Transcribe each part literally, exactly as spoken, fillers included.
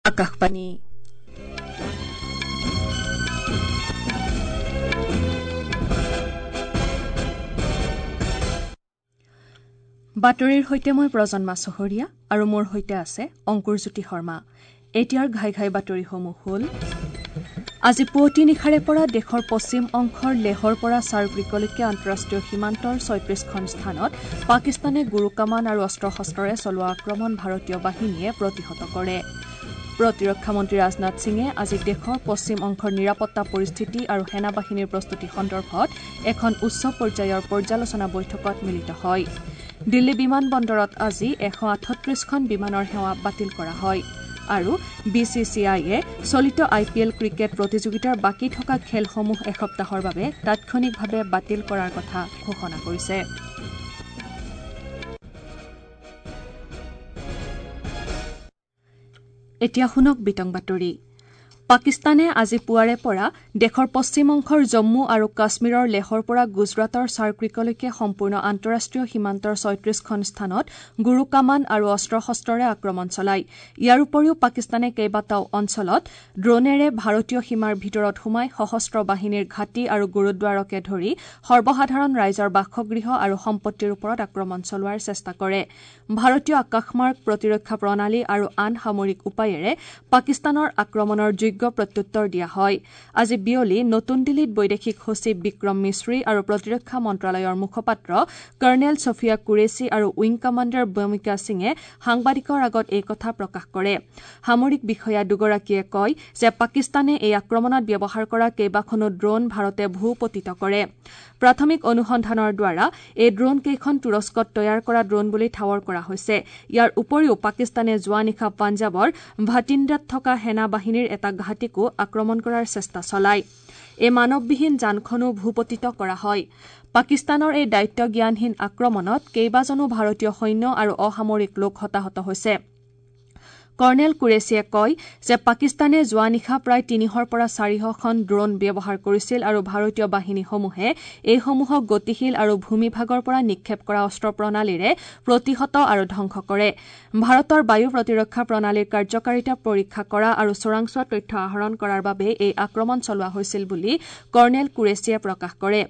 আকাশবাণী। বাতৰিৰ সৈতে মই প্ৰজন্মা চহৰীয়া আৰু মোৰ সৈতে আছে অংকুৰজ্যোতি শৰ্মা। এতিয়াৰ ঘাই ঘাই বাতৰিসমূহ হ'ল: আজি পুৱতি নিশাৰে পৰা দেশৰ পশ্চিম অংশৰ লেহৰ পৰা চাৰক্ৰিকলৈকে আন্তঃৰাষ্ট্ৰীয় সীমান্তৰ ছয়ত্ৰিশখন স্থানত পাকিস্তানে গুৰু কামান আৰু অস্ত্ৰ শস্ত্ৰৰে চলোৱা আক্ৰমণ ভাৰতীয় বাহিনীয়ে প্ৰতিহত কৰে। প্ৰতিৰক্ষা মন্ত্ৰী ৰাজনাথ সিঙে আজি দেশৰ পশ্চিম অংশৰ নিৰাপত্তা পৰিস্থিতি আৰু সেনাবাহিনীৰ প্ৰস্তুতি সন্দৰ্ভত এখন উচ্চ পৰ্যায়ৰ পৰ্যালোচনা বৈঠকত মিলিত হয়। দিল্লী বিমান বন্দৰত আজি এশ আঠত্ৰিশখন বিমানৰ সেৱা বাতিল কৰা হয়। আৰু বি চি চি আইয়ে চলিত আই পি এল ক্ৰিকেট প্ৰতিযোগিতাৰ বাকী থকা খেলসমূহ এসপ্তাহৰ বাবে তাৎক্ষণিকভাৱে বাতিল কৰাৰ কথা ঘোষণা কৰিছে। এতিয়া শুনক বিতং বাতৰি। পাকিস্তানে আজি পুৱাৰে পৰা দেশৰ পশ্চিম অংশৰ জম্মু আৰু কাশ্মীৰৰ লেহৰ পৰা গুজৰাটৰ চাৰক্ৰিকলৈকে সম্পূৰ্ণ আন্তঃৰাষ্ট্ৰীয় সীমান্তৰ ছয়ত্ৰিশখন স্থানত গুৰু কামান আৰু অস্ত্ৰ শস্ত্ৰৰে আক্ৰমণ চলায়। ইয়াৰ উপৰিও পাকিস্তানে কেইবাটাও অঞ্চলত ড্ৰোনেৰে ভাৰতীয় সীমাৰ ভিতৰত সোমাই সশস্ত্ৰ বাহিনীৰ ঘাটি আৰু গুৰুদ্বাৰকে ধৰি সৰ্বসাধাৰণ ৰাইজৰ বাসগৃহ আৰু সম্পত্তিৰ ওপৰত আক্ৰমণ চলোৱাৰ চেষ্টা কৰে। ভাৰতীয় আকাশমাৰ্গ প্ৰতিৰক্ষা প্ৰণালী আৰু আন সামৰিক উপায়েৰে পাকিস্তানৰ আক্ৰমণৰ যোগ্য প্ৰত্যুত্তৰ দিয়া হয়। আজি বিয়লি নতুন দিল্লীত বৈদেশিক সচিব বিক্ৰম মিশ্ৰী আৰু প্ৰতিৰক্ষা মন্ত্ৰালয়ৰ মুখপাত্ৰ কৰ্ণেল ছফিয়া কুৰেশ্বি আৰু উইং কমাণ্ডাৰ ব্যোমিকা সিঙে সাংবাদিকৰ আগত এই কথা প্ৰকাশ কৰে। সামৰিক বিষয়া দুগৰাকীয়ে কয় যে পাকিস্তানে এই আক্ৰমণত ব্যৱহাৰ কৰা কেইবাখনো ড্ৰোন ভাৰতে ভূপতিত কৰে। প্ৰাথমিক অনুসন্ধানৰ দ্বাৰা এই ড্ৰোন কেইখন তুৰস্কত তৈয়াৰ কৰা ড্ৰোন বুলি ঠাৱৰ কৰা হৈছে। ইয়াৰ উপৰিও পাকিস্তানে যোৱা নিশা পাঞ্জাৱৰ ভাটিণ্ডাত থকা সেনা বাহিনীৰ এটা ঘাটিকো আক্ৰমণ কৰাৰ চেষ্টা চলায়। এই মানৱবিহীন যানখনো ভূপতিত কৰা হয়। পাকিস্তানৰ এই দায়িত্বজ্ঞানহীন আক্ৰমণত কেইবাজনো ভাৰতীয় সৈন্য আৰু অসামৰিক লোক হতাহত হৈছে। কৰ্ণেল কুৰেশ্বীয়ে কয় যে পাকিস্তানে যোৱা নিশা প্ৰায় তিনিশৰ পৰা চাৰিশখন ড্ৰোন ব্যৱহাৰ কৰিছিল আৰু ভাৰতীয় বাহিনীসমূহে এইসমূহক গতিশীল আৰু ভূমিভাগৰ পৰা নিক্ষেপ কৰা অস্ত্ৰ প্ৰণালীৰে প্ৰতিহত আৰু ধ্বংস কৰে। ভাৰতৰ বায়ু প্ৰতিৰক্ষা প্ৰণালীৰ কাৰ্যকাৰিতা পৰীক্ষা কৰা আৰু চোৰাংচোৱা তথ্য আহৰণ কৰাৰ বাবে এই আক্ৰমণ চলোৱা হৈছিল বুলি কৰ্ণেল কুৰেশ্বীয়ে প্ৰকাশ কৰে।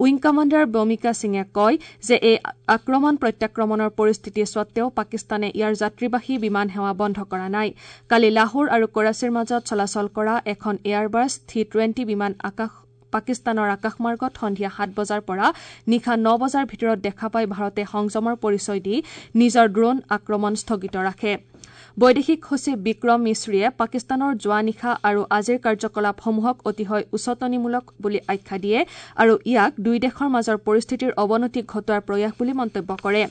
উইং কমাণ্ডাৰ ব্যোমিকা সিঙে কয় যে এই আক্ৰমণ প্ৰত্যাক্ৰমণৰ পৰিস্থিতি সত্বেও পাকিস্তানে ইয়াৰ যাত্ৰীবাহী বিমান সেৱা বন্ধ কৰা নাই। কালি লাহোৰ আৰু কৰাচীৰ মাজত চলাচল কৰা এখন এয়াৰবাছ থ্ৰী টুৱেণ্টি বিমান আকাশ পাকিস্তানৰ আকাশমাৰ্গত সন্ধিয়া সাত বজাৰ পৰা নিশা ন বজাৰ ভিতৰত দেখা পাই ভাৰতে সংযমৰ পৰিচয় দি নিজৰ ড্ৰোন আক্ৰমণ স্থগিত ৰাখে। বৈদেশিক সচিব বিক্ৰম মিশ্ৰীয়ে পাকিস্তানৰ যোৱা নিশা আৰু আজিৰ কাৰ্যকলাপসমূহক অতিশয় উচটনিমূলক বুলি আখ্যা দিয়ে আৰু ইয়াক দুই দেশৰ মাজৰ পৰিস্থিতিৰ অৱনতি ঘটোৱাৰ প্ৰয়াস বুলি মন্তব্য কৰে।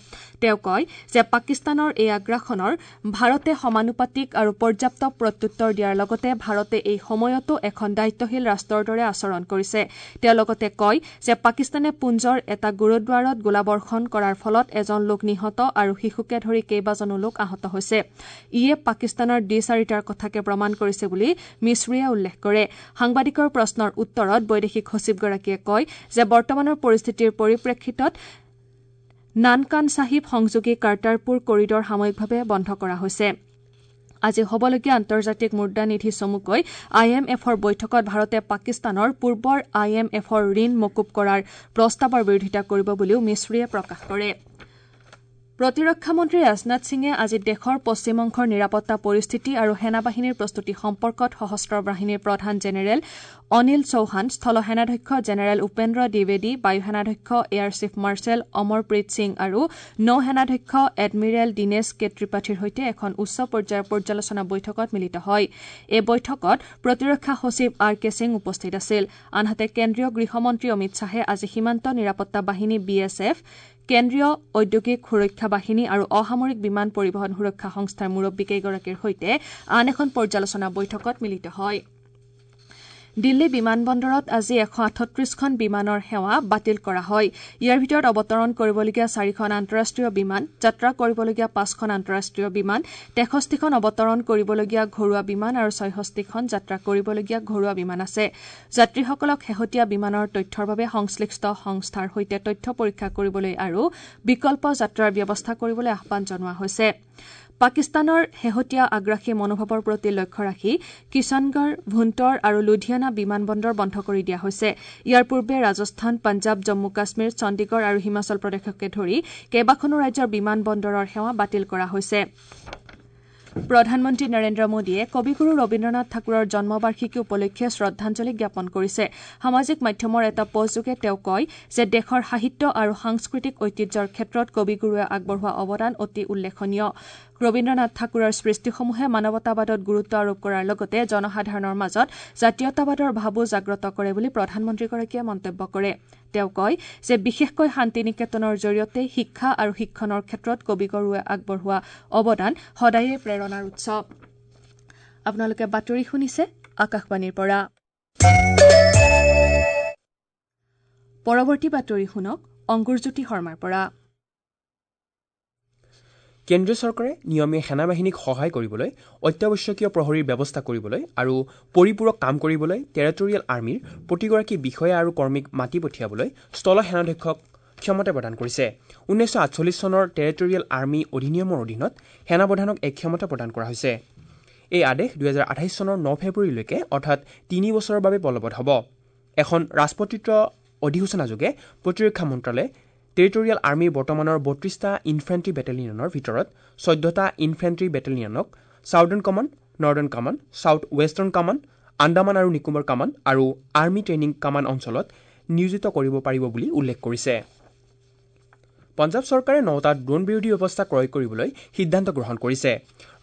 তেওঁ কয় যে পাকিস্তানৰ এই আগ্ৰাসনৰ ভাৰতে সমানুপাতিক আৰু পৰ্যাপ্ত প্ৰত্যুত্তৰ দিয়াৰ লগতে ভাৰতে এই সময়তো এখন দায়িত্বশীল ৰাষ্ট্ৰৰ দৰে আচৰণ কৰিছে। তেওঁ লগতে কয় যে পাকিস্তানে পুঞ্জৰ এটা গুৰুদ্বাৰত গোলাবৰ্ষণ কৰাৰ ফলত এজন লোক নিহত আৰু শিশুকে ধৰি কেইবাজনো লোক আহত হৈছে। ইয়ে পাকিস্তানৰ দ্বিচাৰিতাৰ কথাকে প্ৰমাণ কৰিছে বুলি মিশ্ৰীয়ে উল্লেখ কৰে। সাংবাদিকৰ প্ৰশ্নৰ উত্তৰত বৈদেশিক সচিবগৰাকীয়ে কয় যে বৰ্তমানৰ পৰিস্থিতিৰ পৰিপ্ৰেক্ষিতত নানকান চাহিব সংযোগী কাৰ্টাৰপুৰ কৰিডৰ সাময়িকভাৱে বন্ধ কৰা হৈছে। আজি হ'বলগীয়া আন্তৰ্জাতিক মুদ্ৰানিধি চমুকৈ I am এফৰ বৈঠকত ভাৰতে পাকিস্তানৰ পূৰ্বৰ I am এফৰ ঋণ মকুব কৰাৰ প্ৰস্তাৱৰ বিৰোধিতা কৰিব বুলিও মিশ্ৰীয়ে প্ৰকাশ কৰে। প্ৰতিৰক্ষা মন্ত্ৰী ৰাজনাথ সিঙে আজি দেশৰ পশ্চিম অংশৰ নিৰাপত্তা পৰিস্থিতি আৰু সেনাবাহিনীৰ প্ৰস্তুতি সম্পৰ্কত সশস্ত্ৰ বাহিনীৰ প্ৰধান জেনেৰেল অনিল চৌহান, স্থল সেনাধ্যক্ষ জেনেৰেল উপেন্দ্ৰ দ্বিবেদী, বায়ু সেনাধ্যক্ষ air chief marshal Amarpreet Singh আৰু নৌ সেনাধ্যক্ষ এডমিৰেল দীনেশ কে ত্ৰিপাঠীৰ সৈতে এখন উচ্চ পৰ্যায়ৰ পৰ্যালোচনা বৈঠকত মিলিত হয়। এই বৈঠকত প্ৰতিৰক্ষা সচিব আৰ কে সিং উপস্থিত আছিল। আনহাতে কেন্দ্ৰীয় গৃহমন্ত্ৰী অমিত শ্বাহে আজি সীমান্ত নিৰাপত্তা বাহিনী বি এছ এফ, কেন্দ্ৰীয় ঔদ্যোগিক সুৰক্ষা বাহিনী আৰু অসামৰিক বিমান পৰিবহণ সুৰক্ষা সংস্থাৰ মুৰব্বীকেইগৰাকীৰ সৈতে আন এখন পৰ্যালোচনা বৈঠকত মিলিত হয়। দিল্লী বিমানবন্দৰত আজি এশ আঠত্ৰিশখন বিমানৰ সেৱা বাতিল কৰা হয়। ইয়াৰ ভিতৰত অৱতৰণ কৰিবলগীয়া চাৰিখন আন্তঃৰাষ্ট্ৰীয় বিমান, যাত্ৰা কৰিবলগীয়া পাঁচখন আন্তঃৰাষ্ট্ৰীয় বিমান, তেষষ্ঠিখন অৱতৰণ কৰিবলগীয়া ঘৰুৱা বিমান আৰু ছয়ষষ্ঠিখন যাত্ৰা কৰিবলগীয়া ঘৰুৱা বিমান আছে। যাত্ৰীসকলক শেহতীয়া বিমানৰ তথ্যৰ বাবে সংশ্লিষ্ট সংস্থাৰ সৈতে তথ্য পৰীক্ষা কৰিবলৈ আৰু বিকল্প যাত্ৰাৰ ব্যৱস্থা কৰিবলৈ আহ্বান জনোৱা হৈছে। পাকিস্তানৰ শেহতীয়া আগ্ৰাসী মনোভাৱৰ প্ৰতি লক্ষ্য ৰাখি কিষাণগড়, ভুণ্টৰ আৰু লুধিয়ানা বিমানবন্দৰ বন্ধ কৰি দিয়া হৈছে। ইয়াৰ পূৰ্বে ৰাজস্থান, পঞ্জাৱ, জম্মু কাশ্মীৰ, চণ্ডীগড় আৰু হিমাচল প্ৰদেশকে ধৰি কেইবাখনো ৰাজ্যৰ বিমানবন্দৰৰ সেৱা বাতিল কৰা হৈছে। প্ৰধানমন্ত্ৰী নৰেন্দ্ৰ মোদীয়ে কবিগুৰু ৰবীন্দ্ৰনাথ ঠাকুৰৰ জন্মবাৰ্ষিকী উপলক্ষে শ্ৰদ্ধাঞ্জলি জ্ঞাপন কৰিছে। সামাজিক মাধ্যমৰ এটা পোষ্টযোগে তেওঁ কয় যে দেশৰ সাহিত্য আৰু সাংস্কৃতিক ঐতিহ্যৰ ক্ষেত্ৰত কবিগুৰুৱে আগবঢ়োৱা অৱদান অতি উল্লেখনীয়। ৰবীন্দ্ৰনাথ ঠাকুৰৰ সৃষ্টিসমূহে মানৱতাবাদত গুৰুত্ব আৰোপ কৰাৰ লগতে জনসাধাৰণৰ মাজত জাতীয়তাবাদৰ ভাবো জাগ্ৰত কৰে বুলি প্ৰধানমন্ত্ৰীগৰাকীয়ে মন্তব্য কৰে। তেওঁ কয় যে বিশেষকৈ শান্তি নিকেতনৰ জৰিয়তে শিক্ষা আৰু শিক্ষণৰ ক্ষেত্ৰত কবিগুৰুৱে আগবঢ়োৱা অৱদান সদায়ে প্ৰেৰণাৰ উৎস। আপোনালোকে বাতৰি শুনিছে আকাশবাণীৰ পৰা। পৰৱৰ্তী বাতৰি শুনক অংকুৰজ্যোতি শৰ্মাৰ পৰা। কেন্দ্ৰীয় চৰকাৰে নিয়মীয়া সেনাবাহিনীক সহায় কৰিবলৈ, অত্যাৱশ্যকীয় প্ৰহৰীৰ ব্যৱস্থা কৰিবলৈ আৰু পৰিপূৰক কাম কৰিবলৈ টেৰিটৰিয়েল আৰ্মীৰ প্ৰতিগৰাকী বিষয়া আৰু কৰ্মীক মাতি পঠিয়াবলৈ স্থল সেনাধ্যক্ষক ক্ষমতা প্ৰদান কৰিছে। ঊনৈছশ আঠচল্লিছ চনৰ টেৰিটৰিয়েল আৰ্মী অধিনিয়মৰ অধীনত সেনাপ্ৰধানক এই ক্ষমতা প্ৰদান কৰা হৈছে। এই আদেশ দুহেজাৰ আঠাইছ চনৰ ন ফেব্ৰুৱাৰীলৈকে অৰ্থাৎ তিনি বছৰৰ বাবে বলবৎ হ'ব। এখন ৰাজপত্ৰিত অধিসূচনাযোগে প্ৰতিৰক্ষা মন্ত্ৰালয়ে টেৰিটৰিয়েল আৰ্মীৰ বৰ্তমানৰ বত্ৰিছটা ইনফেণ্ট্ৰি বেটেলিয়নৰ ভিতৰত চৈধ্যটা ইনফেণ্ট্ৰি বেটেলিয়নক southern command, northern command, south western command, Andaman আৰু নিকোবৰ কমাণ্ড আৰু আৰ্মী ট্ৰেইনিং কমাণ্ড অঞ্চলত নিয়োজিত কৰিব পাৰিব বুলি উল্লেখ কৰিছে। পঞ্জাৱ চৰকাৰে নটা ড্ৰোন বিৰোধী ব্যৱস্থা ক্ৰয় কৰিবলৈ সিদ্ধান্ত গ্ৰহণ কৰিছে।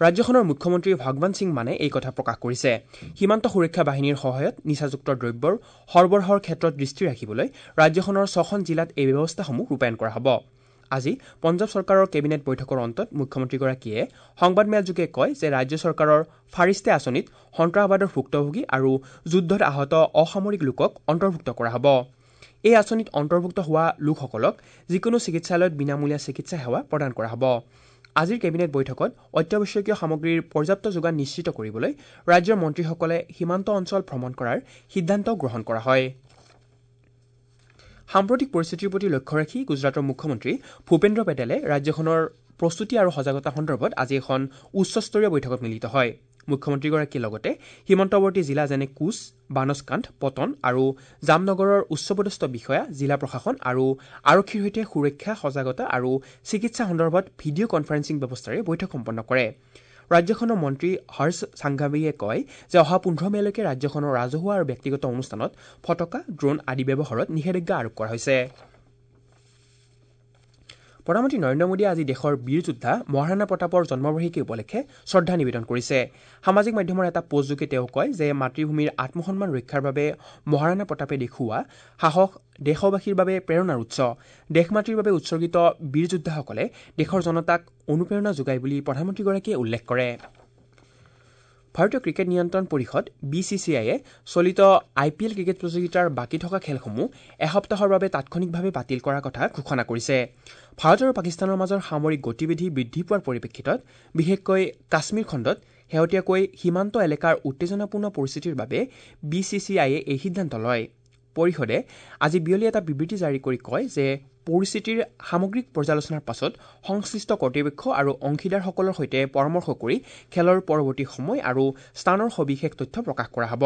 ৰাজ্যখনৰ মুখ্যমন্ত্ৰী ভগৱান সিং মানে এই কথা প্ৰকাশ কৰিছে। সীমান্ত সুৰক্ষা বাহিনীৰ সহায়ত নিচাযুক্ত দ্ৰব্যৰ সৰবৰাহৰ ক্ষেত্ৰত দৃষ্টি ৰাখিবলৈ ৰাজ্যখনৰ ছখন জিলাত এই ব্যৱস্থাসমূহ ৰূপায়ণ কৰা হ'ব। আজি পঞ্জাৱ চৰকাৰৰ কেবিনেট বৈঠকৰ অন্তত মুখ্যমন্ত্ৰীগৰাকীয়ে সংবাদমেলযোগে কয় যে ৰাজ্য চৰকাৰৰ ফাৰিষ্টে আঁচনিত সন্ত্ৰাসবাদৰ ভুক্তভোগী আৰু যুদ্ধত আহত অসামৰিক লোকক অন্তৰ্ভুক্ত কৰা হ'ব। এই আঁচনিত অন্তৰ্ভুক্ত হোৱা লোকসকলক যিকোনো চিকিৎসালয়ত বিনামূলীয়া চিকিৎসা সেৱা প্ৰদান কৰা হ'ব। আজিৰ কেবিনেট বৈঠকত অত্যাৱশ্যকীয় সামগ্ৰীৰ পৰ্যাপ্ত যোগান নিশ্চিত কৰিবলৈ ৰাজ্যৰ মন্ত্ৰীসকলে সীমান্ত অঞ্চল ভ্ৰমণ কৰাৰ সিদ্ধান্ত গ্ৰহণ কৰা হয়। সাম্প্ৰতিক পৰিস্থিতিৰ প্ৰতি লক্ষ্য ৰাখি গুজৰাটৰ মুখ্যমন্ত্ৰী ভূপেন্দ্ৰ পেটেলে ৰাজ্যখনৰ প্ৰস্তুতি আৰু সজাগতা সন্দৰ্ভত আজি এখন উচ্চস্তৰীয় বৈঠকত মিলিত হয়। মুখ্যমন্ত্ৰীগৰাকীয়ে লগতে সীমান্তৱৰ্তী জিলা যেনে কুচ, বানস্কাণ্ঠ, পটন আৰু জামনগৰৰ উচ্চপদস্থ বিষয়া, জিলা প্ৰশাসন আৰু আৰক্ষীৰ সৈতে সুৰক্ষা, সজাগতা আৰু চিকিৎসা সন্দৰ্ভত ভিডিঅ' কনফাৰেন্সিং ব্যৱস্থাৰে বৈঠক সম্পন্ন কৰে। ৰাজ্যখনৰ মন্ত্ৰী হৰ্ষ সাংঘাৱীয়ে কয় যে অহা পোন্ধৰ মে'লৈকে ৰাজ্যখনৰ ৰাজহুৱা আৰু ব্যক্তিগত অনুষ্ঠানত ফটকা, ড্ৰোন আদি ব্যৱহাৰত নিষেধাজ্ঞা আৰোপ কৰা হৈছে। প্ৰধানমন্ত্ৰী নৰেন্দ্ৰ মোদীয়ে আজি দেশৰ বীৰ যোদ্ধা মহাৰাণা প্ৰতাপৰ জন্মবাৰ্ষিকী উপলক্ষে শ্ৰদ্ধা নিবেদন কৰিছে। সামাজিক মাধ্যমৰ এটা পোষ্টযোগে তেওঁ কয় যে মাতৃভূমিৰ আত্মসন্মান ৰক্ষাৰ বাবে মহাৰাণা প্ৰতাপে দেখুওৱা সাহস দেশবাসীৰ বাবে প্ৰেৰণাৰ উৎস। দেশ মাতৃৰ বাবে উৎসৰ্গিত বীৰ যোদ্ধাসকলে দেশৰ জনতাক অনুপ্ৰেৰণা যোগায় বুলি প্ৰধানমন্ত্ৰীগৰাকীয়ে উল্লেখ কৰে। ভাৰতীয় ক্ৰিকেট নিয়ন্ত্ৰণ পৰিষদ বি চি চি আইয়ে চলিত আই পি এল ক্ৰিকেট প্ৰতিযোগিতাৰ বাকী থকা খেলসমূহ এসপ্তাহৰ বাবে তাৎক্ষণিকভাৱে বাতিল কৰাৰ কথা ঘোষণা কৰিছে। ভাৰত আৰু পাকিস্তানৰ মাজৰ সামৰিক গতিবিধি বৃদ্ধি পোৱাৰ পৰিপ্ৰেক্ষিতত বিশেষকৈ কাশ্মীৰ খণ্ডত শেহতীয়াকৈ সীমান্ত এলেকাৰ উত্তেজনাপূৰ্ণ পৰিস্থিতিৰ বাবে বি চি চি আইয়ে এই সিদ্ধান্ত লয়। পৰিষদে আজি বিয়লি এটা বিবৃতি জাৰি কৰি কয় যে পৰিস্থিতিৰ সামগ্ৰিক পৰ্যালোচনাৰ পাছত সংশ্লিষ্ট কৰ্তৃপক্ষ আৰু অংশীদাৰসকলৰ সৈতে পৰামৰ্শ কৰি খেলৰ পৰৱৰ্তী সময় আৰু স্থানৰ সবিশেষ তথ্য প্ৰকাশ কৰা হ'ব।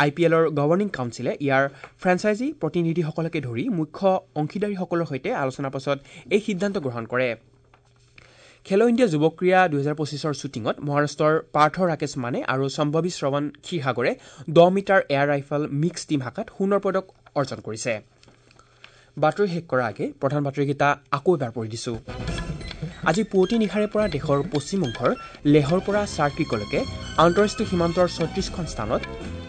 আই পি এলৰ গভৰ্ণিং কাউন্সিলে ইয়াৰ ফ্ৰেঞ্চাইজি প্ৰতিনিধিসকলকে ধৰি মুখ্য অংশীদাৰীসকলৰ সৈতে আলোচনাৰ পাছত এই সিদ্ধান্ত গ্ৰহণ কৰে। খেলো ইণ্ডিয়া যুৱ ক্ৰীড়া দুহেজাৰ পঁচিছৰ শ্বুটিঙত মহাৰাষ্ট্ৰৰ পাৰ্থ ৰাকেশ মানে আৰু সম্ভৱী শ্ৰৱণ ক্ষীৰসাগৰে দহ metre air rifle mix team শাখাত সোণৰ পদক অৰ্জন কৰিছে। বাতৰি শেষ কৰাৰ আগে প্ৰধান বাতৰিকেইটা আকৌ এবাৰ পঢ়ি দিছোঁ। আজি পুৱতি নিশাৰে পৰা দেশৰ পশ্চিম অংশৰ লেহৰ পৰা চাৰ্কিকলৈকে আন্তঃৰাষ্ট্ৰীয় সীমান্তৰ ছয়ত্ৰিছখন স্থানত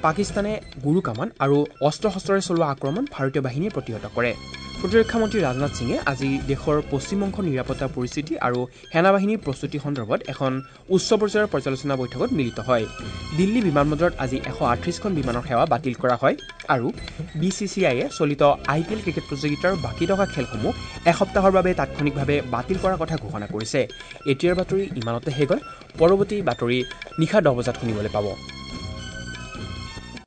পাকিস্তানে গুৰু কামান আৰু অস্ত্ৰ শস্ত্ৰৰে চলোৱা আক্ৰমণ ভাৰতীয় বাহিনীয়ে প্ৰতিহত কৰে। প্ৰতিৰক্ষা মন্ত্ৰী ৰাজনাথ সিঙে আজি দেশৰ পশ্চিম অংশৰ নিৰাপত্তা পৰিস্থিতি আৰু সেনাবাহিনীৰ প্ৰস্তুতি সন্দৰ্ভত এখন উচ্চ পৰ্যায়ৰ পৰ্যালোচনা বৈঠকত মিলিত হয়। দিল্লী বিমানবন্দৰত আজি এশ আঠত্ৰিছখন বিমানৰ সেৱা বাতিল কৰা হয় আৰু বি চি চি আইয়ে চলিত আই পি এল ক্ৰিকেট প্ৰতিযোগিতাৰ বাকী থকা খেলসমূহ এসপ্তাহৰ বাবে তাৎক্ষণিকভাৱে বাতিল কৰাৰ কথা ঘোষণা কৰিছে। এতিয়াৰ বাতৰি ইমানতে শেষ হ'ল। পৰৱৰ্তী বাতৰি নিশা দহ বজাত শুনিবলৈ পাব।